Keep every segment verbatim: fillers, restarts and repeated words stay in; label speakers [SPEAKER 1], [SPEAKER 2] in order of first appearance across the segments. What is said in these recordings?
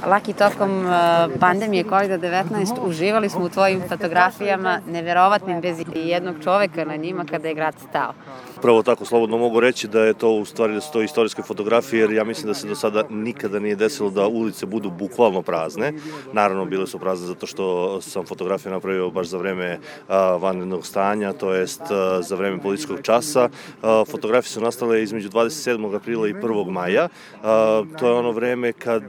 [SPEAKER 1] Laki, tokom pandemije kovida devetnaest uživali smo u tvojim fotografijama, neverovatnim, bez jednog čoveka na njima kada je grad stao.
[SPEAKER 2] Prvo tako slobodno mogu reći da je to u stvari da su to istorijske fotografije, jer ja mislim da se do sada nikada nije desilo da ulice budu bukvalno prazne. Naravno, bile su prazne zato što sam fotografiju napravio baš za vreme vanrednog stanja, to jest za vreme policijskog časa. Fotografije su nastale između dvadeset sedmog aprila i prvog maja. To je ono vreme kad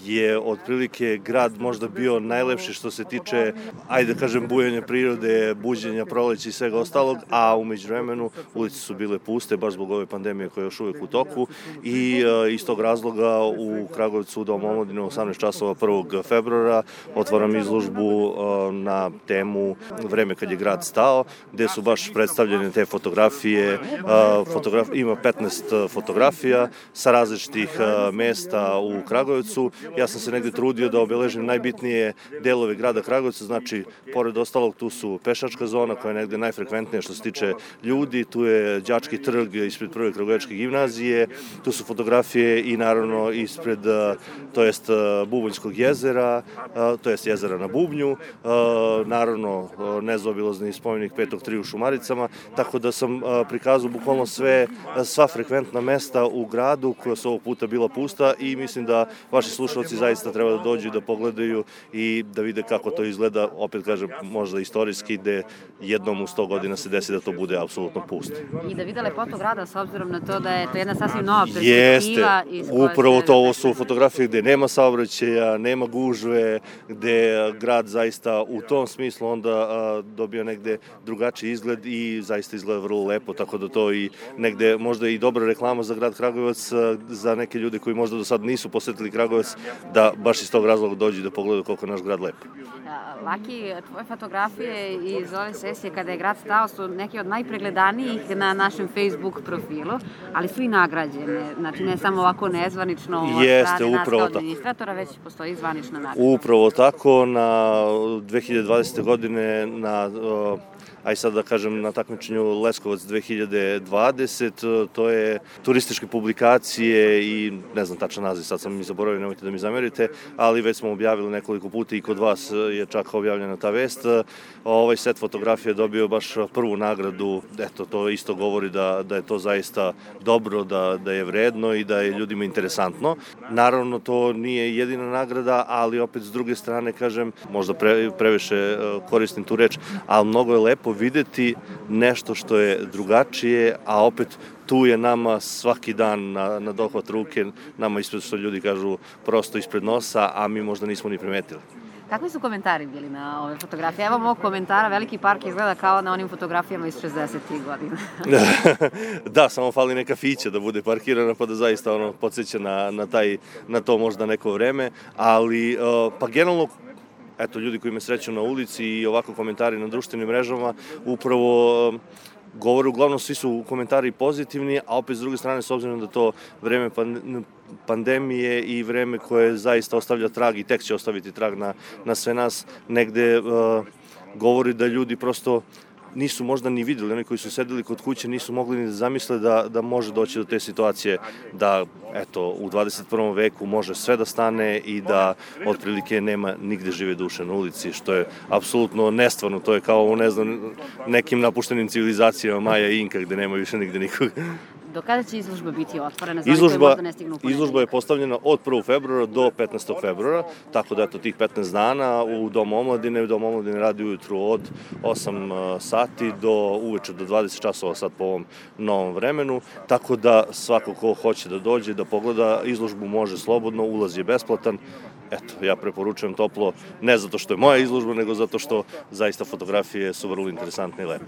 [SPEAKER 2] je otprilike grad možda bio najlepši što se tiče, ajde da kažem, bujanja prirode, buđenja proleća i svega ostalog, a u međuvremenu ulice su bile puste, baš zbog ove pandemije koja je još uvek u toku i iz tog razloga u Kragujevcu u Domu omladine u osamnaest časova prvog februara otvaram izložbu na temu Vreme kad je grad stao, gde su baš predstavljene te fotografije. Fotograf, ima petnaest fotografija sa različitih mesta u Kragujevcu. Ja sam se negde trudio da obeležim najbitnije delove grada Kragujevca, znači, pored ostalog, tu su pešačka zona koja je negde najfrekventnija što se tiče ljudi, tu je Đački trg ispred prve Kragujevačke gimnazije, tu su fotografije i naravno ispred, to jest Bubonjskog jezera, to jest jezera na Bubnju, naravno nezaobilazni spomenik Petog tri u Šumaricama, tako da sam prikazao bukvalno sve, sva frekventna mesta u gradu koja su ovog puta bila pusta i mislim da vaši slušalci zaista treba da dođu i da pogledaju i da vide kako to izgleda, opet kažem, možda istorijski, gde jednom u sto godina se desi da to bude apsolutno pusto.
[SPEAKER 1] I da vide lepotu grada s obzirom na to da je to jedna sasvim nova perspektiva.
[SPEAKER 2] Jeste, upravo to, ovo su fotografije gde nema saobraćaja, nema gužve, gde grad zaista u tom smislu onda dobio negde drugačiji izgled i zaista izgleda vrlo lepo, tako da to i negde možda i dobra reklama za grad Kragujevac, za neke ljude koji možda do sad nisu posetili Kragujevac, da baš iz tog razloga dođu i da pogledaju koliko je naš grad lep.
[SPEAKER 1] Laki, tvoje fotografije iz ove sesije kada je grad stao su neke od najpregledanijih na našem Facebook profilu, ali su i nagrađene. Znači, ne samo ovako nezvanično od strane nas kao administratora, već postoji zvanična nagrada.
[SPEAKER 2] Upravo tako, na dve hiljade dvadesete. godine na aj sad da kažem na takmičenju Leskovac dve hiljade dvadesete. To je turističke publikacije i ne znam tačan naziv, sad sam mi zaboravio, nemojte da mi zamerite, ali već smo objavili nekoliko puta i kod vas je čak objavljena ta vest. Ovaj set fotografija je dobio baš prvu nagradu, eto, to isto govori da, da je to zaista dobro, da, da je vredno i da je ljudima interesantno. Naravno, to nije jedina nagrada, ali opet s druge strane, kažem, možda pre, previše koristim tu reč, ali mnogo je lepo videti nešto što je drugačije, a opet tu je nama svaki dan na, na dohvat ruke, nama ispred, što ljudi kažu, prosto ispred nosa, a mi možda nismo ni primetili.
[SPEAKER 1] Kakvi su komentari bili na ove fotografije? Evo mog komentara, Veliki park izgleda kao na onim fotografijama iz šezdesetih godina.
[SPEAKER 2] Da, samo fali neka fića da bude parkirana, pa da zaista ono podsjeća na, na, taj, na to možda neko vreme, ali pa generalno, eto, ljudi koji me sreću na ulici i ovako komentari na društvenim mrežama, upravo govore, uglavnom svi su komentari pozitivni, a opet s druge strane, s obzirom da to vreme pandemije i vreme koje zaista ostavlja trag i tek će ostaviti trag na, na sve nas, negde uh, govori da ljudi prosto nisu možda ni videli, oni koji su sedeli kod kuće nisu mogli ni da zamisle da, da može doći do te situacije da, eto, u dvadeset prvom veku može sve da stane i da otprilike nema nigde žive duše na ulici, što je apsolutno nestvarno, to je kao u, ne znam, nekim napuštenim civilizacijama Maja i Inka gde nema više nigde nikoga.
[SPEAKER 1] Do kada će izložba biti otvorena? Za
[SPEAKER 2] izložba,
[SPEAKER 1] koji možda ne stignu u ponedeljak?
[SPEAKER 2] Izložba je postavljena od prvog februara do petnaestog februara, tako da eto tih petnaest dana u Domu omladine. Dom omladine radi ujutru od osam sati do uveče do dvadeset časova sad po ovom novom vremenu, tako da svako ko hoće da dođe, da pogleda izložbu može slobodno, ulaz je besplatan. Eto, ja preporučujem toplo, ne zato što je moja izložba, nego zato što zaista fotografije su vrlo interesantne i lepe.